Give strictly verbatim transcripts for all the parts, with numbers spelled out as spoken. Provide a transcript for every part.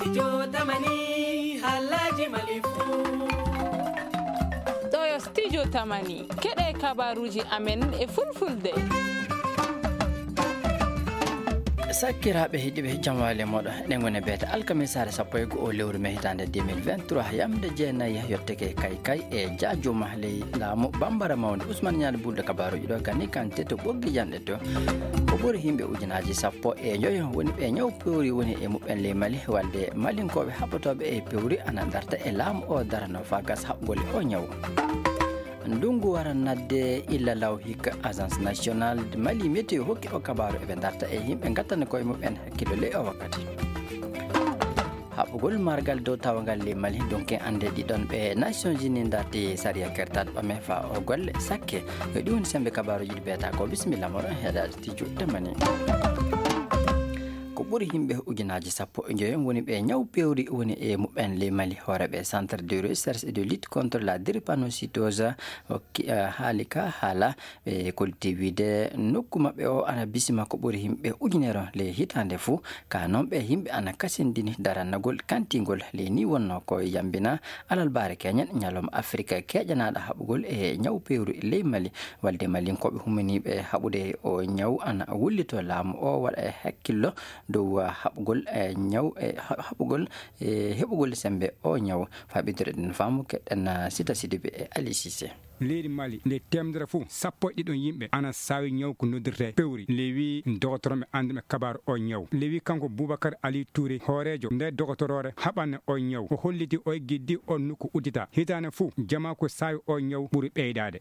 Studio Tamani, halaji Mali fu. Ɗo yo Studio Tamani, keɗe kabaruji amen e fulfulde. Sakkiraaɓe heɗiiɓe, jam waali e mooɗon. Eɗen ngoni e beete alkamisaare sappo e go'o lewru mee hitaande deux mille vingt-trois, yamde jeenayi yottake kay kay e jaajuma ley laamu Bambara Mawnde. Usman Ñaali Bulɗo kabaaruuji ɗo, kani kante to ɓoggi janɗe to. Ko ɓuri yimɓe ujunaaji sappo e njoyo woni ɓe ñaw pewri woni e muɓɓen ley Mali, walde Malinkooɓe haɓotooɓe e pewri ana darta e laamu o darano faa gas haɓgol e o ñaw. Ndunngu wara nadde illa law hikka. Agence Nationale de Mali Météo hokki o kabaaru eɓe darta e yimɓe ngattana koye muɓɓen hakkillo ley o wakkati. Haɓugol margal dow tawagal ley Mali, dunke annde ɗiɗon ɓe Nations Unies darti sariya kertaɗo ɓame faa o golle sakke. Yo ɗi woni sembe kabaaruuji ɗi beeta ko. Bisimilla moɗon heɗaade Studio Tamani. Ko ɓuri yimɓe ujunaaji sappo e njoyo woni ɓe ñaw pewri woni e muɓɓen ley Mali. Hooreeɓe Centre de Recherche et de Lutte contre la Drépanocytose hokki, eh, haali ka haala, ɓe kolti wiide nokku maɓɓe o ana bisima ko ɓuri yimɓe ujunere ley hitaande fuu. Ka noon ɓe yimɓe ana kasindini darannagol kantingol ley ni wonno ko yambina alalbaare keñen ñalawma Afirka keƴanaaɗo haɓugol e ñaw pewri ley Mali. Walde Malinkooɓe humaniiɓe haɓude o ñaw ana wullito laamu o waɗa e hakkillo dow, ah, haɓugol, eh, ñaw, eh, ha-, haɓugol, eh, heɓugol sembe o ñaw. Faa ɓeydude ɗen faamu keɗen, ah, Sita Sidibe e Ali Sise. Leydi Mali, nde teemedere fof, sappo e ɗiɗon yimɓe ana saawi ñaw ko noddirtee pewri. Lewi dogotorooɓe annduɓe kabaaru o ñaw. Lewi kanko Boubacar Ali Touré, hooreejo nde dogotoroore haɓande o ñaw. O holliti o giddi o nokku uddita. Hitaande fof, jamaa ko saawi o ñaw ɓuri ɓeydaade.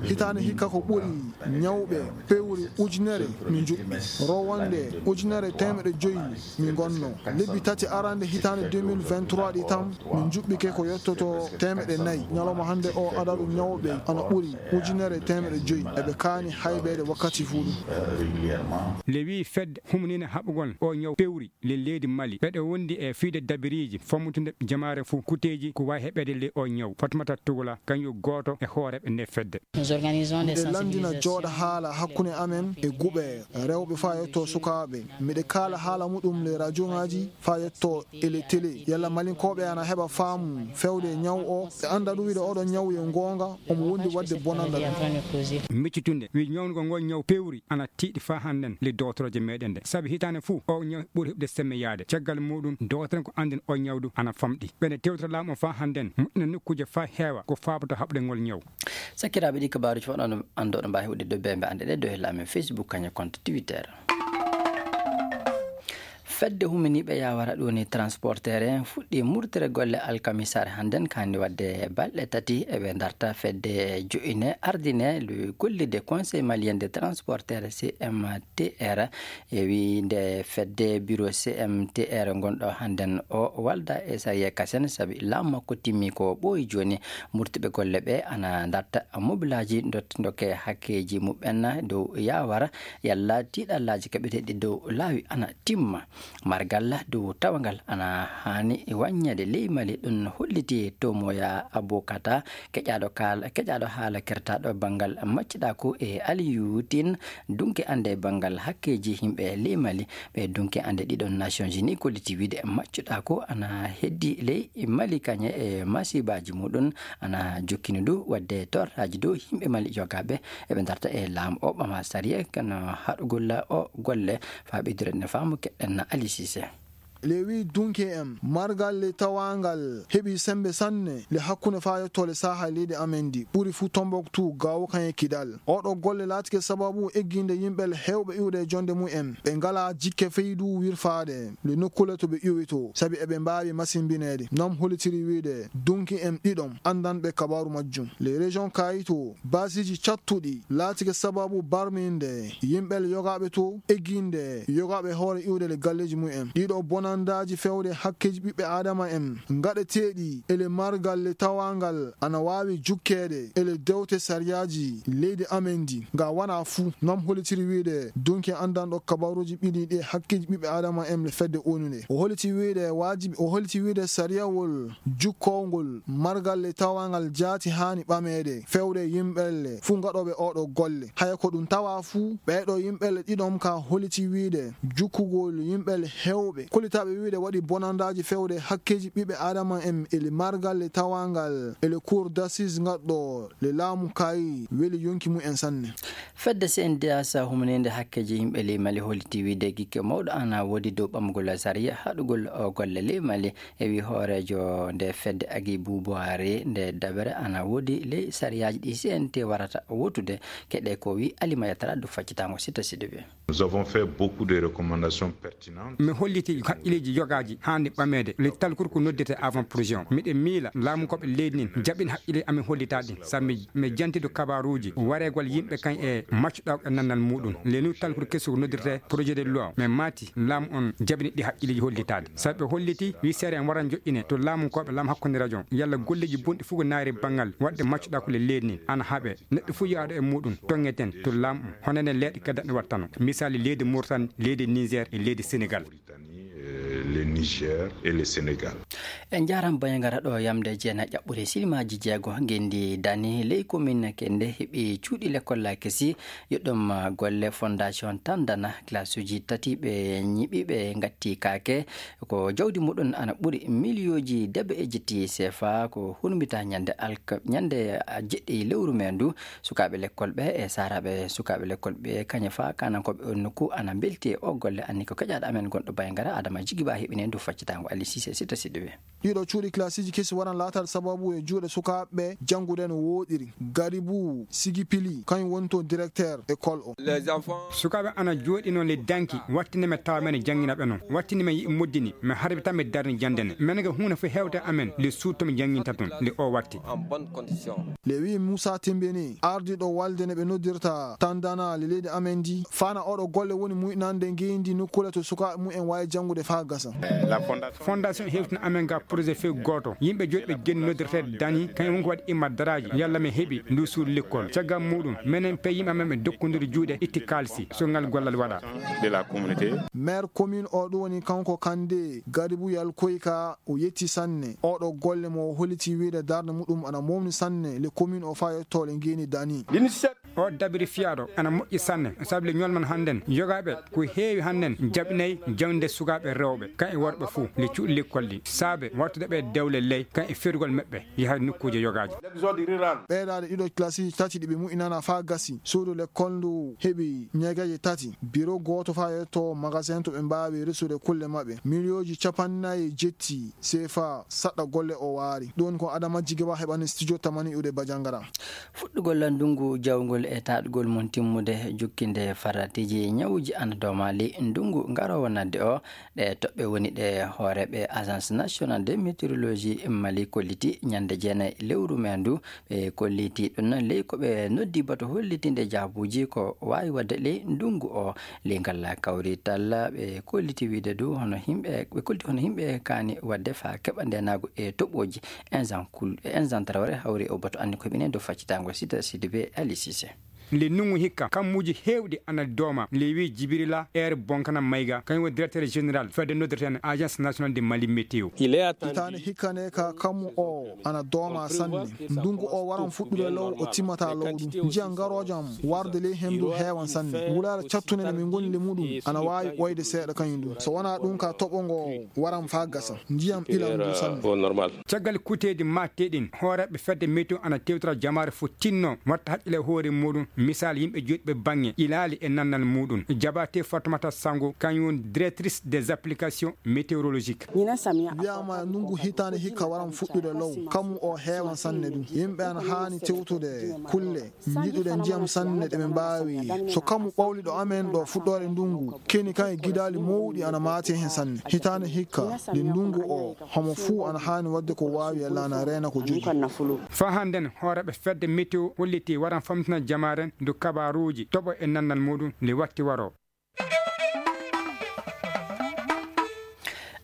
Hitaande hikka ko ɓuri ñawɓe pewri ujunere min njuɓɓi. Rowande ujunere teemedde joyi min ngonno. Lebbi tati arande hitaande deux mille vingt-trois ɗi tan, min njuɓɓike ko yottoto teemedde nayi. Ñalawma hannde o adadu ñawɓe ana ɓuri ujunere teemedde joyi. Eɓe kaani haybeede wakkati fuu ɗum. Lewi fedde humnina haɓugol o ñaw pewri. Le leydi Mali, ɓeɗe wondi e fiide dabiriiji, fammutunde jamaare fuu, kuteeji ko waawi heɓeede ley o ñaw. Fatmata Tugula, kañum gooto e hooreeɓe nde fedde. Miɗe lanndina jooɗa haala hakkunde amen e guɓe rewɓe faa yetto sukaaɓe. Miɗe kaala haala muɗum le radiongaaji faa yetto e le télé. Yalla Malinkooɓe ana heɓa faamu fewde ñaw o, ɓe annda ɗum wiide oɗo ñaw yo goonga, omo wondi waɗde bonannda ɗum. Miccitunde, wi ñawnugol ngol ñaw pewri. Ana tiiɗi faa hannden le dogotorooje meɗen nde. Sabi hitaande fuu, o ñaw ɓuri heɓde semmeyaade. Caggal muɗum, dogotoren ko annden o ñaw du ana famɗi. Ɓe nde tewtata laamu o faa hannden, moƴƴina nokkuuje faa heewa ko faabata haɓde ngol ñaw. Sakkiraaɓe, ɗi kabaaruuji fof oɗon anndo oɗon mbaawi huɗde dow bembe anɗe ɗe dow e laamen Facebook, kañum e compte Twitter. Fedde huminiiɓe yaawara ɗum ni transporteur en fuɗɗi murtere golle alkamisaare hannden, kaandi waɗde balɗe tati eɓe darta fedde jo'ine ardine gollirde Conseil Malien de Transporteur, C M T R. E wiyde fedde bureau C M T R ngonɗo hannden o walda e sariya kasen, sabi laamu makko timmi ko ɓooyi jooni. Murtiɓe golle ɓe ana darta mobilaaji dot-, dokke hakkeeji muɓɓen dow yaawara yalla tiiɗallaaji kaɓeteeɗi dow laawi ana timma. Margal dow tawangal ana haani waññeede ley Mali, ɗum holliti Tomoya Abokata, keƴaaɗo kaal-, keƴaaɗo haala kertaaɗo banngal maccuɗaaku e Aliyu Tin, dunke annde banngal hakkeeji yimɓe ley Mali. Ɓe dunke annde ɗiɗon Nations Unies kolliti wiide maccuɗaaku ana heddi ley Mali kañe e masiibaaji muɗum ana jokkini du waɗde torraaji dow yimɓe Mali yogaaɓe eɓe darta e laamu o ɓama sariya kono haɗugol o golle. Faa ɓeydude ne faamu keɗen Ali Sise. Le wi dunke en, margal le tawangal heɓi sembe sanne le hakkunde faa yetto le saha leydi amen ndi, ɓuri fuu Tombouctou, Gao kañe Kidal. Oɗo golle laatike sababu egginde yimɓe le heewɓe iwde e jonde mumen. Ɓe ngalaa jikke feydu wirfaade le nokkule to ɓe iwi to, sabi eɓe mbaawi masimbineede. Nam hollitiri wiide dunki en ɗiɗon anndanɓe kabaaru majjum. Les régions kayito, baasiiji cattuɗi laatike sababu barminde yimɓe le yogaaɓe to, egginde yogaaɓe hoore iwde le galleeji mumen. Ɗiɗo bonandaaji fewde hakkeeji ɓiɓɓe Aadama en ngaɗeteeɗi e le margal le tawangal ana waawi jukkeede e le dewte sariyaaji leydi amen ndi. Nga wana fuu, nam hollitiri wiide dunki anndanɗo kabaaruuji ɓiɗi ɗi hakkeeji ɓiɓɓe Aadama en le fedde O N U nde. O holliti wiide waajibi, o holliti wiide sariyawol jukkowngol margal le tawangal jaati haani ɓameede fewde yimɓe le fuu ngaɗooɓe oɗo golle. Haya ko ɗum tawa fuu, ɓeeɗo yimɓe le ɗiɗon ka holliti wiide jukkugol yimɓe le heewɓe kollita Ɓe wiide waɗi bonandaaji fewde hakkeeji ɓiɓɓe aadama en e le margal le tawangal e le cour d'assises ngaɗɗo le laamu kaayi weli yonki mum en sanne. Fedde C N D H humininde hakkeeji yimɓe ley Mali holliti wiide gikke mawɗo ana woodi dow ɓamgol sariya haɗugol o golle ley Mali. E wi hooreejo nde fedde Agi Bubuwari nde dabere ana woodi ley sariyaaji ɗi C N T warata wotude. Keɗe ko wi Alima Yatara du faccitango sita sidiɓe. Nous avons fait beaucoup de recommandations pertinentes. Mi holliti haqqileeji yogaaji haandi ɓameede le talkuru ko noddirte avant projet on. Miɗen miila laamu koɓe leydi nin jaɓin haqqile amin hollita ɗin sabu mi mi jantidu kabaruuji wareegol yimɓe kan e maccuɗa e nannal muɗum. Lenu talkuru kesu ko noddirte projet de loi, mais maati laamu on jaɓini ɗi haqqileeji hollitaade sabu ɓe holliti wi seere en waran joƴƴine to laamu koɓe laamu hakkunde rajo on yalla golleeji bonɗi fof ko naayri banngal waɗde maccuɗa ko le leydi nin ana haɓe. Neɗɗo fof yahɗo e muɗum toŋŋeten to laamu on hono enen leyɗe kadi daɗɗe wattano, misaali leydi Mauritanie, leydi Niger e leydi Sénégal. Le Niger et le Sénégal. En njaram bayangara ɗo yamde jeena ƴaɓɓure silmaji jeego ngendi dani ley commune kende heɓi cuuɗi lekolla kesi. Yoɗɗum golle fondation tandana classe uji tati ɓe ñiɓi ɓe ngatti kaake. Ko jawdi muɗum ana ɓuri miliyooji debe e jetti sefa ko hurmita ñande alka ñande jeɗɗi lewru me ndu. Sukaaɓe lekkol ɓe e saaraaɓe sukaaɓe lekkol ɓe kañe fa kanankooɓe on nokku ana mbelti e o golle anni ko keƴaaɗo amen gonɗo Bayngara Adama Jigiba heɓine ndu faccitango Ali Sise sita siɗɗo ɓe. Ɗiɗo cuuɗi classiji kesi waran laatal sababu e juuɗe sukaaɓe ɓe janngude no wooɗiri. Garibu Sigi Pili kañum woni to directeur école o. Sukaaɓe ana jooɗi noon le danki wattinde men tawa men e janngina ɓe noon wattinde men yiɗi moddini men harbi tan mi darni jannde ne men ga huunde fof hewte amen le suuto mi jannginta toon le o watti. Le wi Moussa Tembeni ardiɗo walde ne ɓe noddirta tandana le leydi amen ndi fana oɗo golle woni muyɗinande ngeyndi nokkule to sukaaɓe mumen wawi janngude faa gasa. Fondation hewtina amen ga projet few gooto yimɓe joɗi ɓe genni noddirteede dani kañum woni ko waɗi imma daraaji yalla mi heɓi ndu suudu lekkol caggal muɗum menen pe yimɓe amen ɓe dokkodiri juuɗe itti kaalisi so ngal gollal waɗa. Maire commune o ɗum woni kanko kande garibu yalkoyka o yetti sanne oɗo golle mo o holliti wiide darde muɗum ana momni sanne le commune o faa yettoole ngeni dani. O dabiri fiyaaɗo ana moƴƴi sanne sabu le ñolman hannden yogaaɓe ko heewi hannden jaɓinay jawnde sukaaɓe rewɓe kan e worɓe fuu le cuuɗi lekkol ɗi saabe wartude ɓe dewle ley kan e ferugol maɓɓe yaha nokkuuje yogaaji. Ɓeydaade ɗiɗo kilasiiji tati ɗi ɓe mu'inana faa gasi suudu lekkol ndu heɓi ñeegeeje tati biro gooto faa yetto magasin to ɓe mbaawi resude kulle maɓɓe miliyooji capannayi jetti sefa saɗɗa golle o waari ɗum ko adama jigeba heɓani studio tamani ude bajangara. Fuɗɗugol ndunngu jawngol e taɗgol mum timmude jukkinde faratiiji ñawuuji ana domaali ndunngu ngaroowo nadde o. Ɗe toɓɓe woni ɗe hooreeɓe agence nationale de météorologie mali kolliti ñande jeenayi lewru me ndu. Ɓe kolliti ɗum ley ko ɓe noddi bato hollitinde jaabuuji ko waawi waɗde ley ndunngu o. Ley ngal kawrital ɓe kolliti wiide du hono yimɓe ɓe kolliti hono yimɓe kaani waɗde faa keɓa ndeenaagu e toɓooji. Ensan traore hawri o bato anndi ko heɓine dow faccitaango sida sidibe ali sise. Nde nungu hikka kammuuji heewɗi ana dooma lewi jibirila ere bonkana mayga kañum woni directeur général fedde noddirten agence nationale de mali météo. Hitaande hikkane ka kammu o ana dooma sanne. Ndungu o waran fuɗɗude low o timmata low ɗum njiyan ngarojam warde ley hendu heewan sanne. Wulaare cattunde nde min ngoni le muɗum ana waawi ɓoyde seeɗa kañum ɗum so wonaa ɗum ka toɓo ngo waran faa gasa. Ndiyam ɓilan ndu sanne. Caggal kuteedi matte ɗin hooreeɓe fedde météo ana tewtora jamaare fof tinno watta haqqile e hoore muɗum. Misal yimɓe joɗɓe bange ilaali e nannal muɗum. Jabate fatumata sango kañum woni directrice des applications météorologiques. Wiyama nungu hitaande hikka waran fuɗɗude low kammu o heewan sanne ɗum yimɓe ana haani tewtude kulle njiɗuɗe ndiyam sanne ɗe ɓe mbaawi. So kammu ɓawli ɗo amen ɗo fuɗɗoore ndungu keni kan e gidaali mawɗi ana maati hen sanne. Hitaande hikka nde ndungu o homo fuu ana haani waɗde ko waawi yalla ana reena ko jogi. Faa hannden hooreeɓe fedde météo holliti waran famtina jamaaren ndu kabaaruuji toɓo e nannal muɗum nde watti waro.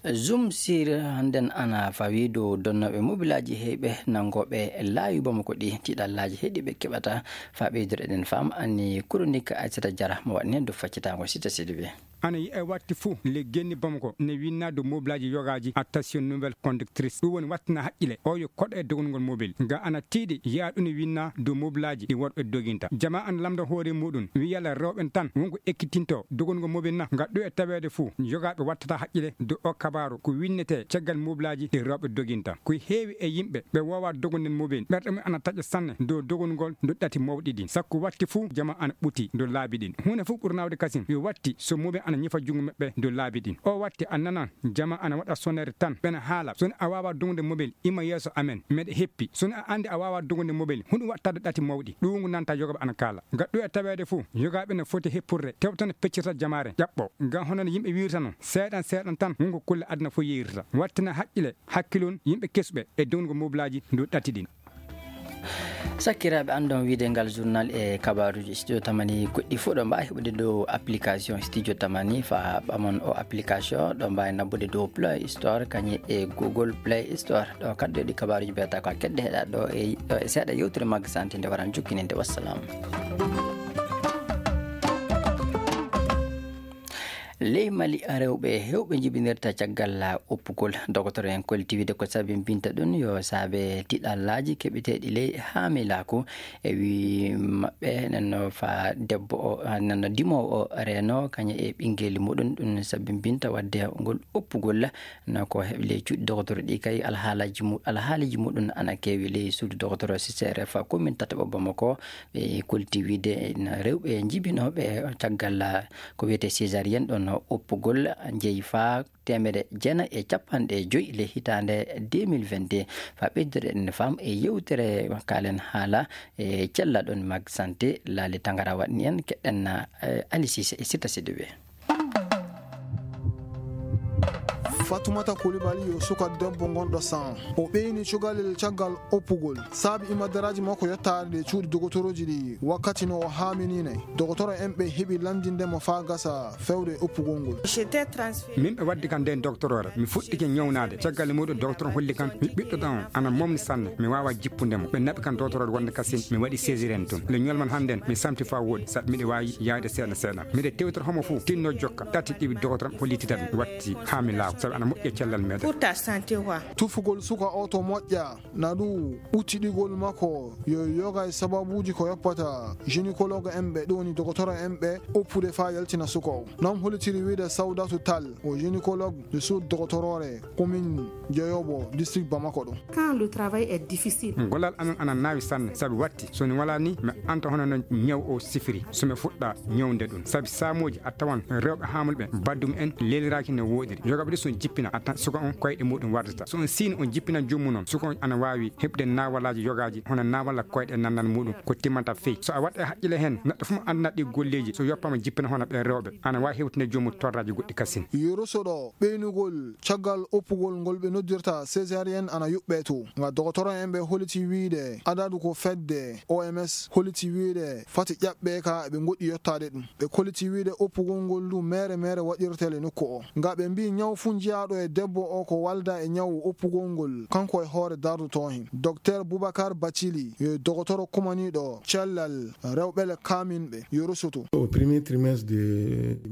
Zoom sur hannden ana fawii dow donnooɓe mobilaaji heyɓe nanngooɓe laawi Bamako ɗi, tiiɗallaaji heɗi ɓe keɓata. Faa ɓeydude eɗen faam ani koronik Aysata Jara mo waɗni heen dow faccitaango sita sidi ɓe. Ana yi'e watti fuu le genni Bamako ne winna dow mobilaaji yogaaji attention nouvelle conductrice. Ɗum woni wattina haqqile o yo koɗo e dogol ngol mobil. Nga ana tiiɗi yi'a ɗum ne winna dow mobilaaji ɗi worɓe doginta. Jama ana lamda hoore muɗum wi yalla rewɓe tan wonko ekkitinto dogol ngol mobil na. Nga ɗo e taweede fuu yogaaɓe wattata haqqile dow o kabaaru ko winnetee caggal mobilaaji ɗi rewɓe doginta. Ko heewi e yimɓe ɓe woowa dogunden mobil ɓerɗe mum ana taƴa sanne dow dogol ngol ndu ɗati mawɗi ɗin. Sakko watti fuu jama ana ɓuti dow laabi ɗin. Huunde fof ɓuri nawde kasin yo watti so mobil ana ñifa junngo maɓɓe dow laabi ɗin. O watti a nanan jama ana waɗa sonneede tan ɓena haala. So a waawaa dogude mobil ima yeeso amen meɗe heppi. So a anndi a waawaa dogude mobil hunɗum waɗtaade ɗati mawɗi ɗuungu nanta yogoɓe ana kaala. Nga ɗo e taweede fof yogaaɓe no foti heppurde tewtano peccirta jamaare ƴaɓɓo. Nga hono no yimɓe wiirta noon seeɗan seeɗan tan wonko kulle aduna fof yeeyrata. Wattina haqqile hakkilon yimɓe kesɓe e dogude mobilaaji ndu ɗati ɗin. Sakkiraaɓe, anndon wiide ngal journal e kabaaruuji studio tamani goɗɗi fof ɗo mbaawi heɓude dow application studio tamani. Faa ɓamon o application ɗo mbaawi nabbude dow Play Store kañum e Google Play Store. Ɗo kaddoɗi kabaaruuji mbiyata ko a kedde heɗa ɗo e ɗo e seeɗa yewtere magga santi nde waran jukkininde. Wassalam. Ley Mali, rewɓe heewɓe njibinirta caggal oppugol. Dogotoro en kolti wiide ko sabimbinta ɗum yo saabe tiɗallaaji keɓeteeɗi ley haamilaaku. E wii maɓɓe nenno fa debbo o nenno dimoowo o reeno kañum e ɓinngeli muɗum ɗum sabimbinta waɗde ngol oppugol. No ko heɓi ley cuuɗi dogotoro ɗi kay alhaalaji mu alhaaliji muɗum ana keewi ley suudu dogotoro C C R F commune tataɓo Bamako. Ɓe kolti wiide rewɓe njibinooɓe caggal ko wiyetee césarienne ɗon oppugol njeyi faa teemedde jeenayi e cappanɗe joyi le hitaande deux mille vingt-deux. Faa ɓeydude en faam e yewtere kaalen haala e cella ɗon mag santé laali tangara waɗni en keɗɗen na. Alisise e sitta sidiɓe. Fatumata Kulibali yo suka debbo gonɗo san. O ɓeyni cukalel caggal oppugol. Saabi imadaraaji makko yottaade ɗe cuuɗi dogotorooji ɗi wakkati no o haaminii nay. Dogotoro en ɓe heɓi lanndinde mo faa gasa fewde oppugol ngol. Min ɓe waddi kam nden dogotoroore. Mi fuɗɗike ñawnaade. Caggal e muuɗum dogotoro holli kam mi ɓiɗɗo ɗan on ana momni sanne. Mi waawaa jippude mo. Ɓe naɓi kam dogotoroore wonde kasin mi waɗi césarienne tun. Le ñolman hannden mi samti faa wooɗi saɗa miɗo waawi yaayde seeɗa seeɗa. Miɗo tewtora homo fof tinno jokka. Tati ɗiwi dogotoro am holliti tan watti haa mi laaw sabu ana moƴƴi e cellal meɗen. Tufugol suka o to moƴƴa na ɗum ɓuttiɗigol makko yo yoga e sababuuji ko yoppata gynécologue en ɓe ɗum woni dogotoro en ɓe oppude faa yaltina suka o. Noon hollitiri wiide Sawdatu Tall o gynécologue de suud dogotoroore commune Dioyobo district Bamako ɗo. Quand le travail est difficile. Gollal amen ana naawi sanne sabu watti so mi walaa ni mi anta hono no ñaw o sifiri so mi fuɗɗa ñawde ɗum sabu saamooji a tawan rewɓe haamulɓe baddum en leeliraaki no wooɗiri. Yogaɓe ɗi so jippina a tan suka on koyɗe muɗum wardata so on siini on jippina joomum noon suka on ana waawi heɓde naawalaaji yogaaji hono naawalla koyɗe nannan muɗum ko timmanta fey so a waɗa e haqqille heen neɗɗo fof annda ɗi golleeji so yoppama jippina hono ɓe rewɓe ana waawi hewtinde joomum torraaji goɗɗi kasin. Yorosoɗo ɓeynugol caggal oppugol ngol ɓe noddirta césarienne ana yuɓɓee to nga dogotoro en ɓe holliti wiide adadu ko fedde O M S holliti wiide fati ƴaɓɓe ka eɓe goɗɗi yottaade ɗum ɓe kolliti wiide oppugol ngol ndu mere mere waɗirtele nokku o nga ɓe mbi ñaw fuu jiyaaɗo e debbo o ko walda e ñaw oppugol ngol kanko e hoore dardotoo heen. Docteur Boubacar Bathily yo dogotoro kumaniiɗo cellal rewɓele kaaminɓe yo rusutu.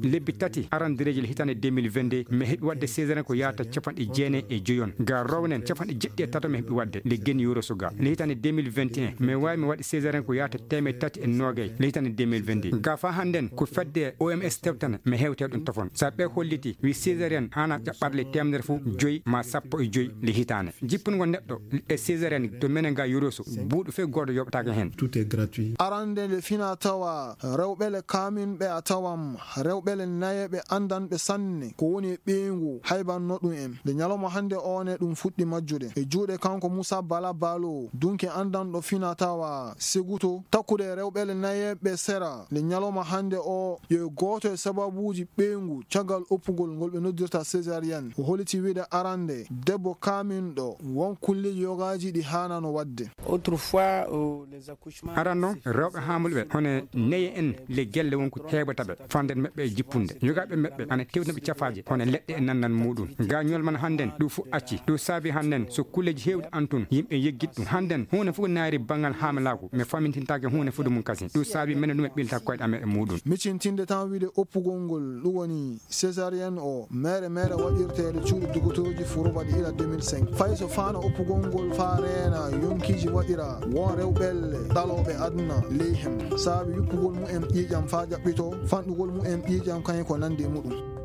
Lebbi tati arandireeji le hitaande deux mille vingt-deux mi heɓi waɗde césarienne ko yahata capanɗe jeenayi e joyon ga rownen capanɗe jeɗɗi e tato mi heɓi waɗde le geni yoroso ga le hitaande deux mille vingt et un mi waawi mi waɗi césarienne ko yahata teemeɗe tati e noogay le hitaande deux mille vingt-deux ga faa hannden ko fedde O M S tewtana mi hewte ɗum tofon sabu ɓe holliti wi césarienne haana ƴaɓɓaade le teemedere fof joyi ma sappo e joyi le hitaande jippungol neɗɗo e césarienne to menen ga yoroso buuɗu fof gooto yoɓataake heen. Arande nde fina tawa rewɓele kaaminɓe a tawan rewɓele nayeɓe anndanɓe sanne ko woni e ɓeyngu haybanno ɗum en nde ñalawma hannde o ne ɗum fuɗɗi majjude e juuɗe kanko Moussa Bala Balo dunke anndanɗo fina tawa seguto takkude e rewɓele nayeɓe sera nde ñalawma hannde o yo gooto e sababuuji ɓeyngu caggal oppugol ngol ɓe noddirta césarienne. O holiti wiide arande debbo kaaminɗo won kulleeji yogaaji ɗi haanano waɗde. Autrefois, euh, les accouchements... Aranno, rewɓe haamulɓe hono neye en le gelle won ko heɓata ɓe fanden meɓɓe e jippunde. Yogaaɓe meɓɓe ana tewna ɓe cafaaje hono leɗɗe e nannan muɗum. Ga ñolman hannden ɗum fof acci. Ɗum saabi hannden so kulleeji heewɗi antun yimɓe yeggit ɗum. Hannden huunde fof ko naari banngal haamilaagu mi famintintaake huunde foti mum kasi. Ɗum saabi menen ɗum e ɓilta koyɗe amen e muɗum. Micintinde tan wiide oppugol ngol ɗum woni césarienne o mere mere waɗirteeɗo cuuɗi dogotooji furubaɗi ila deux mille cinq. Fay so faana oppugol ngol faa reena yonkiiji waɗira won rewɓelle ɗalooɓe aduna ley hem saabi yuppugol mumen ƴiiƴam faa jaɓɓitoo fanɗugol mumen ƴiiƴam kañum ko nanndi e muɗum.